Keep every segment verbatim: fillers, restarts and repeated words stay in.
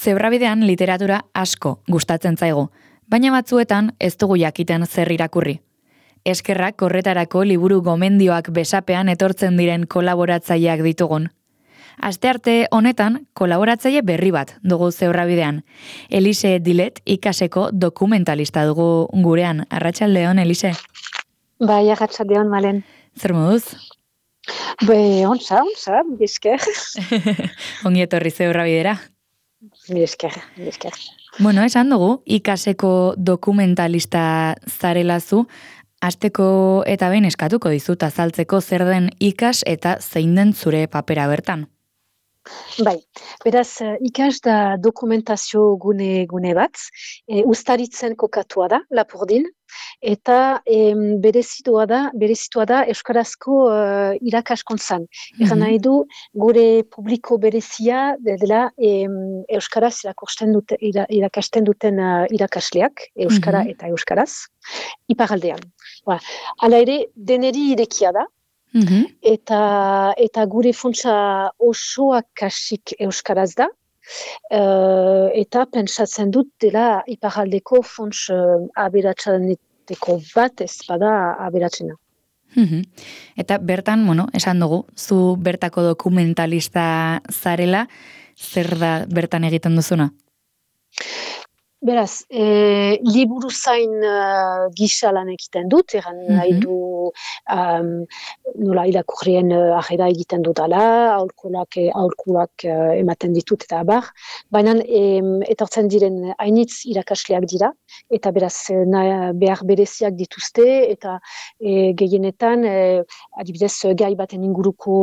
Zebrabidean literatura asko gustatzen zaigu, baina batzuetan ez dugu jakiten zer irakurri. Eskerrak horretarako liburu gomendioak besapean etortzen diren kolaboratzaileak ditugun. Astearte honetan kolaboratzaile berri bat dugu Zebrabidean. Elise Dilet ikaseko dokumentalista dugu gurean. Arratsaldeon, Elise. Bai, arratsaldeon, Malen. Zer moduz? Be, ontsa, ontsa, esker. Ongi etorri Zebrabidera. Esker, esker. Bueno, esan dugu, ikaseko dokumentalista zarelazu, hasteko eta behin eskatuko dizut azaltzeko zer den ikas eta zein den zure papera bertan. Bai, beraz, ikas da dokumentazio gune, gune bat, e, Uztaritzen kokatua da, Lapurdin, eta e, berezitua da, berezitua da Euskarazko uh, irakaskuntzan. Mm-hmm. Egan nahi du, gure publiko berezia dela e, Euskaraz irakusten dute, ira, irakasten duten uh, irakasleak, Euskara mm-hmm. eta Euskaraz, iparaldean. Ba, hala ere, deneri irekia da, mm-hmm. eta, eta gure funtsa osoak kasik Euskaraz da, uh, eta pentsatzen dut dela iparaldeko funts uh, aberatsaneteko bat ez bada aberatsena. Mm-hmm. Eta bertan, bueno, esan dugu, zu bertako dokumentalista zarela, zer da bertan egiten duzuna? Beraz, e, liburu zain uh, gisa lan egiten dut, eran mm-hmm. nahi du um, nola irakurrien uh, ahera egiten dudala, aurkulak, aurkulak uh, ematen ditut eta abar, baina em, etortzen diren hainitz irakasleak dira, eta beraz na, behar bereziak dituzte, eta e, gehienetan, e, adibidez gai baten inguruko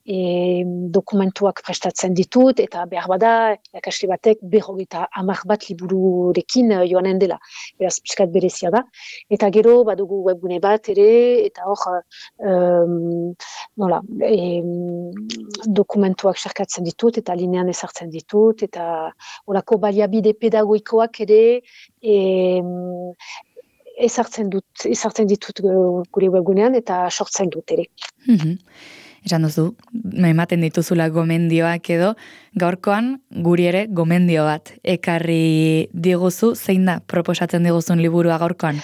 e, dokumentuak prestatzen ditut, eta behar bada irakasle batek berrogeita hamar bat liburu rekin joanen dela. Beraz, pixkat berezia da. Eta gero, badugu webgune bat ere, eta hor, um, nola, e, dokumentuak sarkatzen ditut, eta linean ezartzen ditut, eta horako baliabide pedagoikoak ere e, ezartzen dut, ezartzen ditut gure webgunean, eta sortzen dut ere. Mm-hmm. Esan duzu, ematen dituzula gomendioak edo, gaurkoan guri ere gomendio bat ekarri diguzu, zein da proposatzen diguzun liburua gaurkoan?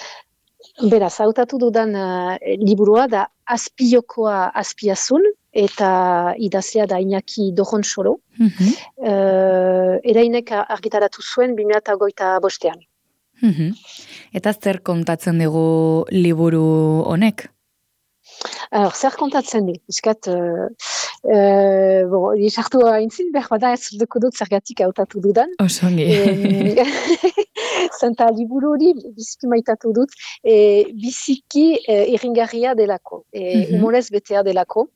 Beraz, hautatu dudan uh, liburua da Azpiokoa azpiazun, eta idazlea da Iñaki Doronsoro. Mm-hmm. Uh, erainek argitaratu zuen bi mila hogeita bostean. Mm-hmm. Eta zer kontatzen digu liburu honek? Alors, zer kontatzen di? Iskat, uh, uh, bon, sartu haintzin, behar bada ez duko dut zergatik hautatu dudan. Osongi. Zenta liburu hori biziki maitatu dut, e, biziki e, irringarria delako, e, mm-hmm. humorez betea delako,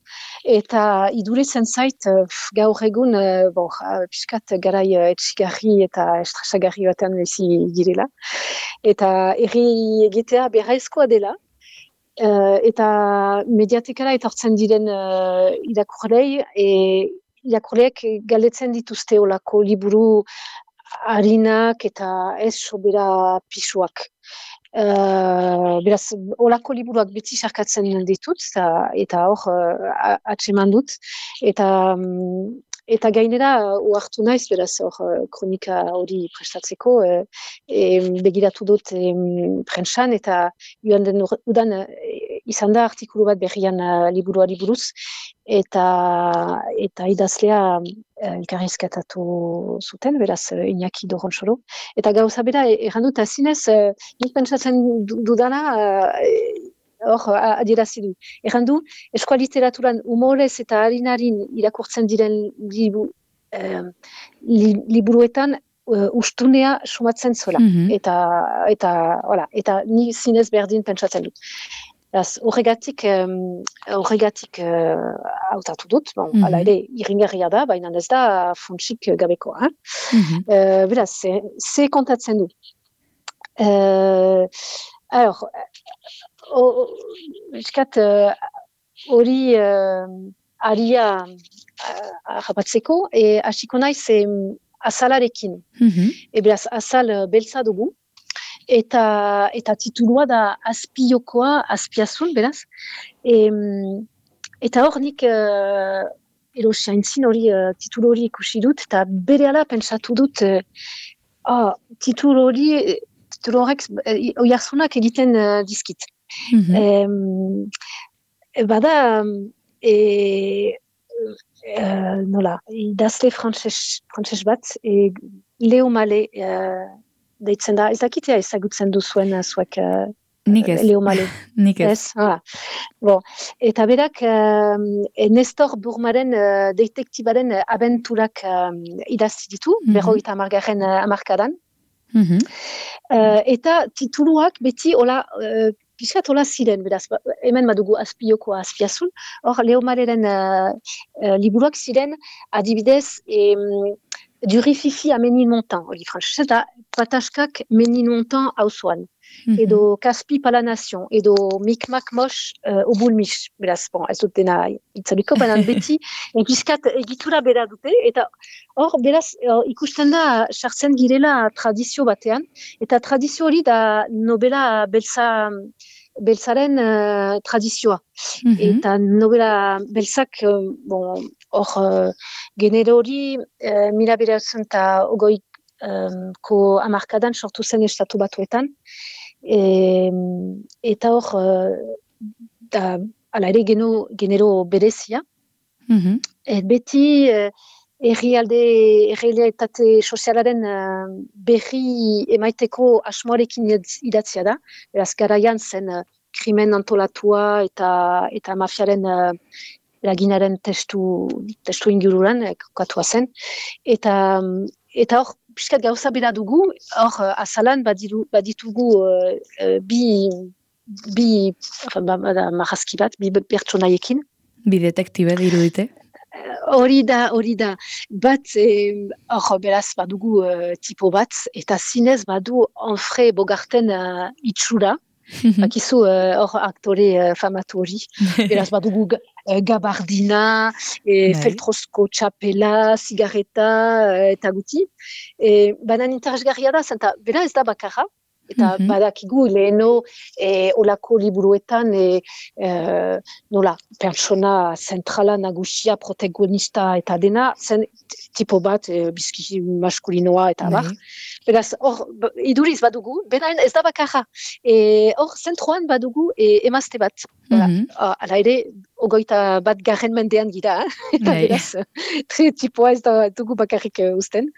eta iduretzen zait gaur egun, e, bon, piskat garai etxigarri eta estrasagarri batean bizi girela, eta erri egitea beharrezkoa dela, Uh, eta mediatekara etortzen diren uh, irakurlei, e, irakurleak galdetzen dituzte olako liburu harinak eta ez sobera pisuak. Uh, beraz, olako liburuak beti sarkatzen ditut, eta, eta hor uh, atseman dut, eta um, Eta gainera, uartu naiz, beraz, hor, kronika hori prestatzeko, e, e, begiratu dut e, prentsan, eta joan den udan e, izan da artikulu bat berrian uh, liburuari buruz, eta, eta idazlea elkarrizketatu zuten, beraz, Iñaki Doronsoro. Eta gauza bera, erran dut, azinez, e, nik pentsatzen dudana, e, hor, adierazi du. Egan du, eskola literaturan humorez eta harinarin irakurtzen diren libu, eh, li, liburuetan uh, ustunea sumatzen zola. Mm-hmm. Eta, eta, hola, eta ni zinez berdin pentsatzen dut. Horregatik, um, horregatik uh, hautatu dut, bon, mm-hmm. ala ere, irringarria da, baina ez da funtsik gabekoa. Mm-hmm. Uh, beraz, ze kontatzen du. Uh, alors, Eskat, hori uh, aria harrapatzeko, uh, e hasiko naiz e, azalarekin. Mm-hmm. E beraz, azal beltza dugu, eta, eta titulua da Azpiokoa azpiazun, beraz. E, eta hor nik uh, edo saintzin hori, uh, titulu hori ikusi dut, eta berehala pentsatu dut, uh, oh, titulu hori, titulu horrek uh, oiartzunak egiten uh, dizkit. Mm-hmm. Um, bada, e, e, nola, idazle frantses, frantses bat, e, Leo Male uh, deitzen da, ez dakitea ezagutzen duzuen zuek uh, Nik ez. Leo Male. Nik ez. Ez, ah. Bon. Eta berak, uh, Nestor Burmaren uh, detektibaren uh, abenturak uh, idazti ditu, mm-hmm. berrogeita hamargarren uh, hamarkadan. Mm-hmm. Uh, eta tituluak beti hola, uh, piskat hola ziren, beraz, hemen badugu azpiokoa azpiazun, hor Leo Maleren uh, uh, liburuak ziren, adibidez, em, Durififi a Ménilmontant, hori frantzese da, pataskak Ménilmontant hauzoan. Mm-hmm. Edo Kaspi Palanation, edo Mikmak Mosh uh, Obulmish, beraz, bon, ez dut dena itzaliko, baina beti, egizkat egitura bera dute, eta hor, beraz, uh, ikusten da, sartzen girela tradizio batean, eta tradizio hori da nobela beltza, beltzaren uh, tradizioa. Mm-hmm. Eta nobela beltzak, uh, bon, hor, uh, genero hori, uh, mila beratzen eta ogoi um, ko amarkadan sortu zen estatu batuetan, E, eta hor, uh, da, ala ere geno, genero berezia. Mm-hmm. Et beti uh, errialde, errealitate sozialaren uh, berri emaiteko asmoarekin idatzia da. Beraz, garaian zen uh, krimen antolatua eta, eta mafiaren uh, laginaren testu, testu ingururan, eh, kokatua zen. Eta, eta hor, piskat gauza bera dugu, hor, azalan badiru, baditugu uh, uh, bi, bi marrazki bat, bi pertsonaiekin. Bi detektibe dirudite? Hori da, hori da. Bat, hor, beraz badugu uh, tipo bat, eta zinez badu Onfre Bogarten uh, itxura. Bakizu hor uh, aktore uh, famatu hori. Beraz badugu uh, gabardina, e, feltrosko txapela, zigarreta uh, eta guti. E, banan interesgarria da, zenta, bera ez da bakarra, eta mm-hmm. badakigu leheno e, olako liburuetan e, e, nola, pertsona zentrala nagusia, protagonista eta dena, zen tipo bat, e, bizki maskulinoa eta bar. Beraz, hor, iduriz badugu, benaen ez da bakarra. Hor, e, zentroan badugu e, emazte bat. Mm-hmm. Hala ere, ogoita bat garren mendean gira, eh? Eta beraz, tre tipoa ez da dugu bakarrik uh, usten.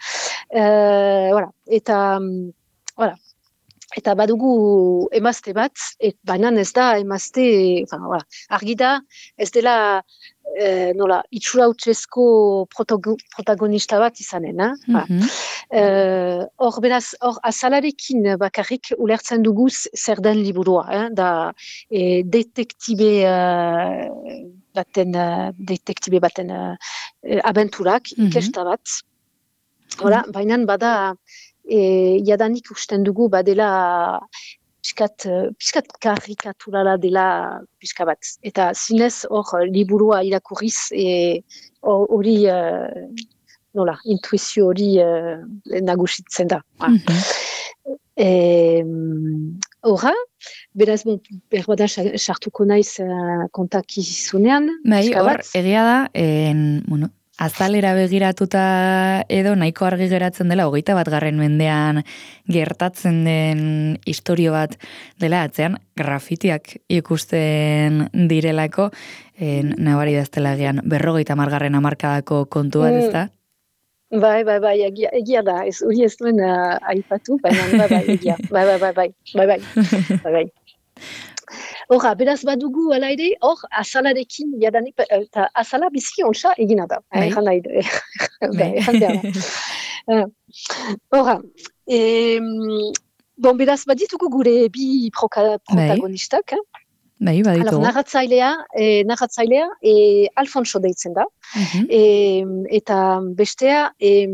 Uh, voilà. Eta, um, voilà. Eta badugu emazte bat, et banan ez da emazte, enfin, voilà, argi da, ez dela, eh, nola, itxura utzesko protagonista bat izanen, eh? Mm-hmm. Uh, hor, beraz, hor, azalarekin bakarrik ulertzen dugu zer den liburua, eh? Da, e, detektibe uh, baten, uh, detektibe baten uh, abenturak, mm-hmm. ikesta bat, hola, mm-hmm. bainan bada, E, jadanik usten dugu badela piskat, piskat karikaturala dela piska bat. Eta zinez hor liburua irakurriz hori e, nola, intuizio hori e, nagusitzen da. Mm-hmm. Horra, beraz, bon, berbada sartuko naiz uh, kontakizunean. Bai, hor, egia da, en, bueno, azalera begiratuta edo nahiko argi geratzen dela, hogeita bat garren mendean gertatzen den istorio bat dela atzean, grafitiak ikusten direlako, en, nabari daztela egian, berrogeita margarren hamarkadako kontu bat, ez da? Bai, bai, bai, egia, egia da, ez hori ez duen uh, aipatu, baina bai, bai, egia, bai, bai, bai, bai, bai, bai, bai, bai. Horra, beraz badugu ala ere, hor, azalarekin, jadanik, eta azala bizki ontsa egina da. Egan nahi, egan behar. Horra, bon, beraz baditugu gure bi protagonistak. Bai, baditu. Alors, narratzailea, eh, narratzailea e, Alfonso deitzen da. Mm-hmm. E, eta bestea, e,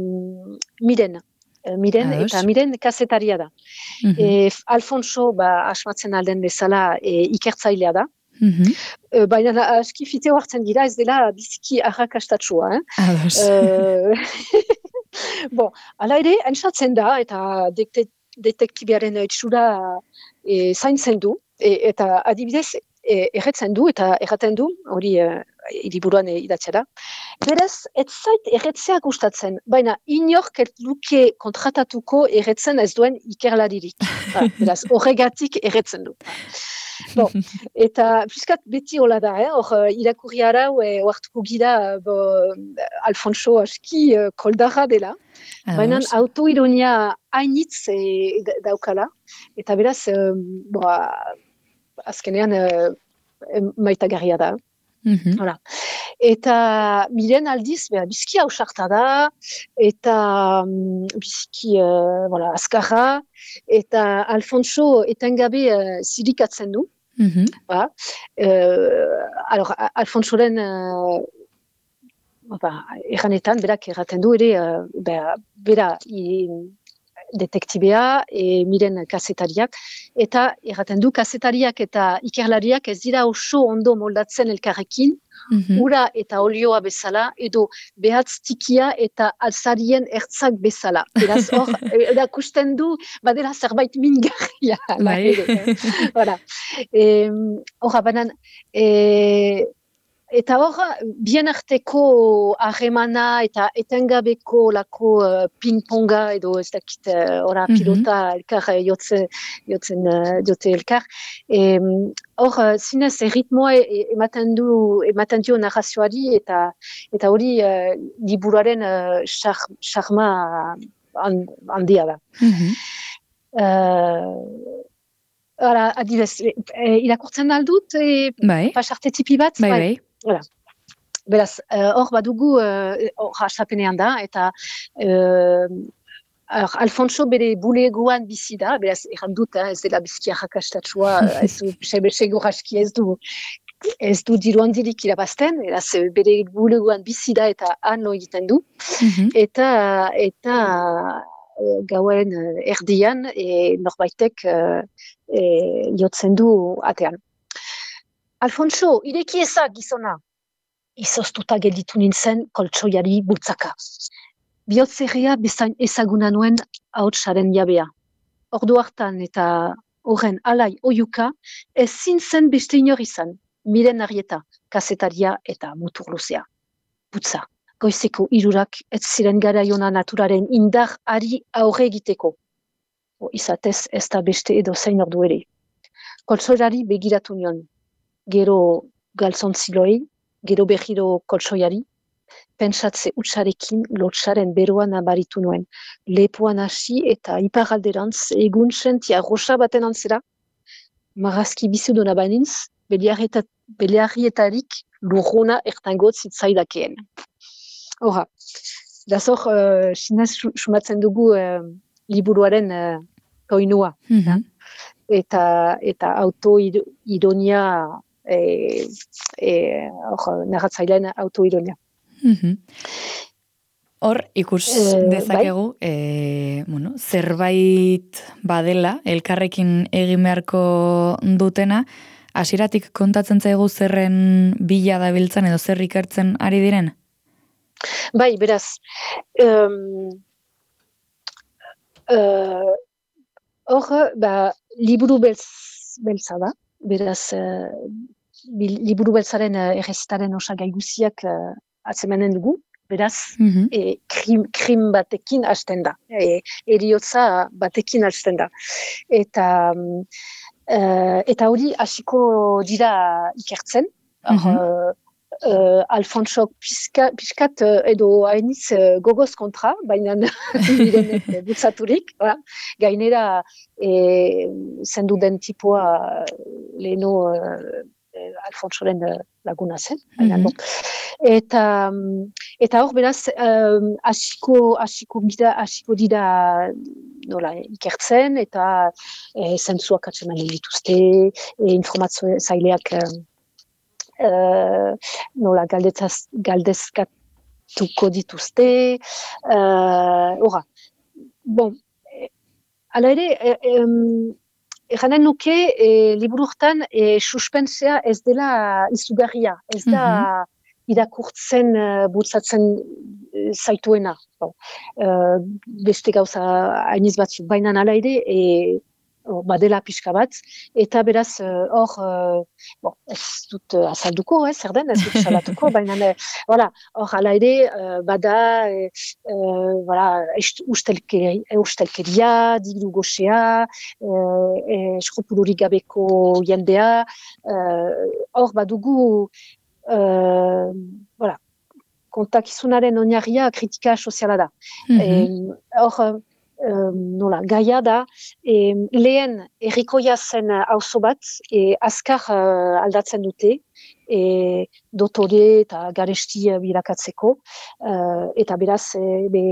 Miren. Miren, Ados. Eta Miren kasetaria da. Mm-hmm. E, Alfonso, ba, asmatzen alden bezala, e, ikertzailea da. Mm-hmm. E, baina aski fiteo hartzen gira, ez dela biziki arrakastatsua. Eh? Ados. E, bon, ala ere, entzatzen da, eta dete, detektibiaren itxura e, zaintzen du, e, eta adibidez, e, erretzen du, eta erraten du, hori e, liburuan idatzia da. Beraz, ez zait erretzea gustatzen, baina inork ez luke kontratatuko erretzen ez duen ikerlaririk. Ba, beraz, horregatik erretzen du. Bon, eta piskat beti hola da, eh? Hor irakurri arau, e, oartuko gira bo, Alfonso aski uh, koldarra dela, baina autoironia hainitz e, daukala, eta beraz, um, bo, azkenean uh, maitagarria da. Mm-hmm. Hola. Eta miren aldiz, beha, bizki hausarta da, eta um, bizki uh, voilà, azkarra, eta Alfonso etengabe uh, zirikatzen du. Mm-hmm. Ba. Uh, alors, Alfonsoren uh, ba, erranetan, berak erraten du ere, uh, bera, bera i, detektibea, e, miren kazetariak, eta erraten du kazetariak eta ikerlariak ez dira oso ondo moldatzen elkarrekin, mm-hmm. ura eta olioa bezala, edo behatz tikia eta alzarien ertzak bezala. Beraz hor, erakusten du, badela zerbait mingarria. Bai. Hora, hor, banan, e, eta hor, bien arteko harremana eta etengabeko lako uh, ping-ponga edo ez dakit ora uh, pilota mm-hmm. elkar jotzen, jotzen uh, jote elkar. Hor, uh, zinez erritmoa ematen du, ematen dio narrazioari eta eta hori uh, liburuaren charma uh, handia da. Mm-hmm. Uh, Hala, adibez, e, irakurtzen aldut, e, bai. Pasarte tipi bat? Bai, bai. Bai. Beraz, hor uh, badugu, hor uh, hastapenean da, eta uh, Alfonso bere bulegoan bizi da, beraz, erran dut, eh, ez dela bizkia jakastatua, ez du, segur aski ez du, ez du diru handirik irabazten, beraz, bere bulegoan bizi da eta han lo egiten du, mm-hmm. eta, eta gauen erdian e, norbaitek e, e, jotzen du atean. Alfonso, ireki ezak gizona. Izoztuta gelditu nintzen koltsoiari bultzaka. Bihotzerria bezain ezaguna nuen ahotsaren jabea. Ordu hartan eta horren alai oiuka ezin zen beste inor izan. Miren Arrieta, kazetaria eta mutur luzea. Putza. Goizeko hirurak ez ziren garaiona naturaren indar ari aurre egiteko. O, izatez ez da beste edo zein ordu ere. Koltsoiari begiratu nion. Gero galtzontziloi, gero behiro koltsoiari. Pentsatze utxarekin lotsaren beroan abaritu nuen. Lepoan hasi eta iparalderantz egun sentia rosa baten antzera. Marazki bizudona bainintz, beliarrietarik lurruna ertangot zitzaidakeen. Hora, dazor, uh, sinez sumatzen dugu uh, liburuaren uh, koinua. Mm-hmm. Eta, eta autoironia, e, e, narratzailean autoironia. Mm-hmm. Hor, ikus eh, dezakegu, bai? e, bueno, zerbait badela, elkarrekin egin beharko dutena, hasieratik kontatzen zaigu zerren bila dabiltzan edo zer ikertzen ari diren? Bai, beraz, hor, um, uh, ba, liburu beltz, beltza da, beraz, uh, liburu beltzaren uh, errezitaren osagai guziak uh, atzemanen dugu, beraz, mm-hmm. e, krim, krim batekin hasten da, e, eriotza batekin hasten da. Eta, uh, eta hori hasiko dira ikertzen, mm-hmm. uh, Uh, Alfonso piskat uh, edo hainiz uh, gogoz kontra, baina mirenek butzaturik, ba. Gainera e, zendu den tipua leheno uh, Alfonsoren uh, laguna zen. Mm-hmm. Eta, eta hor beraz, hasiko um, hasiko dira, hasiko dira nola, ikertzen, eta e, zentzuak atxemanen dituzte, e, informazio zaileak um, Uh, nola galdezaz, galdezkatuko dituzte, uh, bon, ala ere, erranen nuke, e, liburu hortan e, suspensea ez dela izugarria, ez da mm-hmm. irakurtzen, uh, bultzatzen uh, zaituena. Bon. Uh, beste gauza hainiz batzuk, baina ala ere, e, badela pixka bat, eta beraz, hor, uh, bon, ez dut uh, azalduko, eh, zer den, ez dut salatuko, baina, hor, hala ere, uh, bada, uh, voilà, ustelkeria, ustelkeria, diru goxea, uh, eskrupulorik gabeko jendea, hor, uh, badugu, uh, voilà, kontakizunaren oinarria kritika soziala da. Mm-hmm. Hor, Um, nola, gaia da, e, lehen errikoia zen auzo bat, e, azkar uh, aldatzen dute, e, dotore eta garesti bilakatzeko, uh, eta beraz, e, be,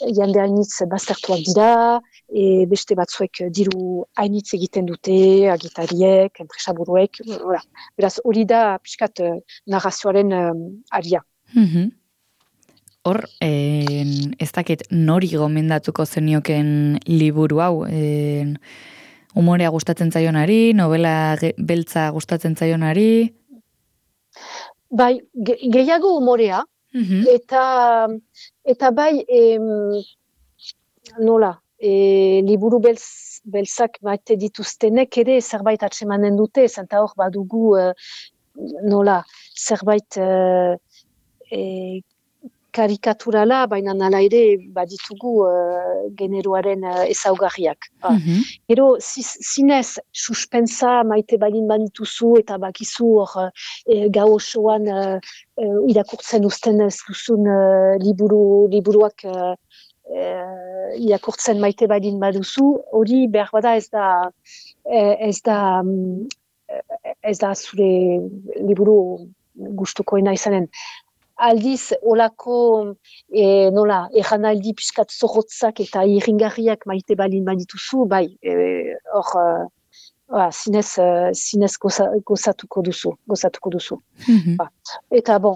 jende hainitz baztertuak dira, e, beste batzuek diru hainitz egiten dute, agitariek, enpresaburuek, ora. Beraz, hori da pixkat uh, narrazioaren um, aria. Mm-hmm. Hor, en, ez dakit nori gomendatuko zenioken liburu hau, en, humorea gustatzen zaionari, novela ge, beltza gustatzen zaionari? Bai, ge, gehiago humorea, mm-hmm. eta, eta bai, em, nola, e, liburu beltz, beltzak maite dituztenek ere zerbait atsemanen dute, zenta hor badugu, uh, nola, zerbait uh, e, karikaturala, baina nala ere baditugu uh, generoaren uh, ezaugarriak. Mm-hmm. Gero, zinez, suspensa maite balin banituzu eta bakizu hor e, gau osoan uh, uh, irakurtzen uzten ez duzun uh, liburu, liburuak uh, uh, irakurtzen maite balin baduzu, hori behar bada ez da ez da um, ez da zure liburu gustukoena izanen. Aldiz, olako, e, nola, erranaldi piskat zorrotzak eta irringarriak maite balin badituzu, bai, hor, e, zinez, zinez goza, gozatuko duzu, gozatuko duzu. Mm-hmm. Ba. Eta, bon,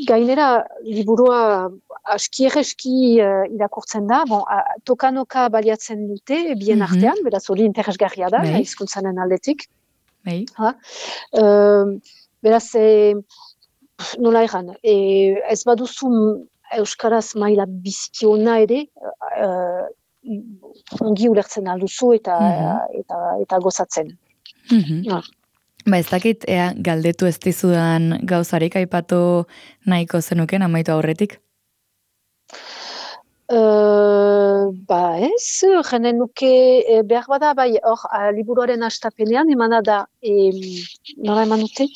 gainera, liburua aski erreski uh, irakurtzen da, bon, a, tokanoka baliatzen dute, bien mm-hmm. artean, beraz hori interesgarria da, hizkuntzanen aldetik. Bai. Uh, beraz, e, nola egan, e, ez baduzu euskaraz maila bizikiona ere, uh, ongi ulertzen alduzu eta, mm-hmm. eta, eta gozatzen. Mm-hmm. No. Ba, ez dakit, ea, galdetu ez dizudan gauzarik aipatu nahiko zenuken amaitu aurretik? Uh, ba ez, jenen nuke e, behar bada, bai, hor, liburuaren hastapenean, emana da, e, nola eman dute,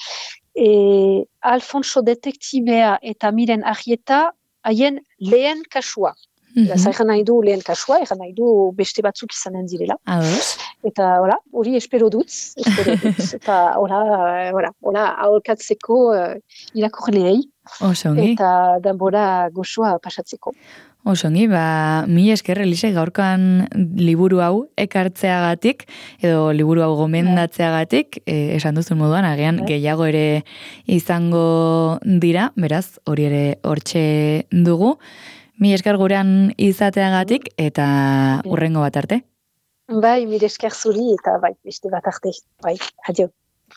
E, Alfonso detektibea eta Miren Arrieta haien lehen kasua. Mm-hmm. Egan nahi du lehen kasua, egan nahi du beste batzuk izanen direla. Ados. Eta, hola, hori espero dut, espero dut. Eta, hola, hola, hola, aholkatzeko uh, irakurleei. Osongi. Eta denbora goxoa pasatzeko. Osongi, ba, mi esker, Elise, gaurkoan liburu hau ekartzeagatik, edo liburu hau gomendatzeagatik, eh, esan duzun moduan, agian gehiago ere izango dira, beraz, hori ere hortxe dugu. Mi esker gurean izateagatik, eta hurrengo bat arte. Bai, mi esker zuri, eta bai, beste bat arte. Bai, adio.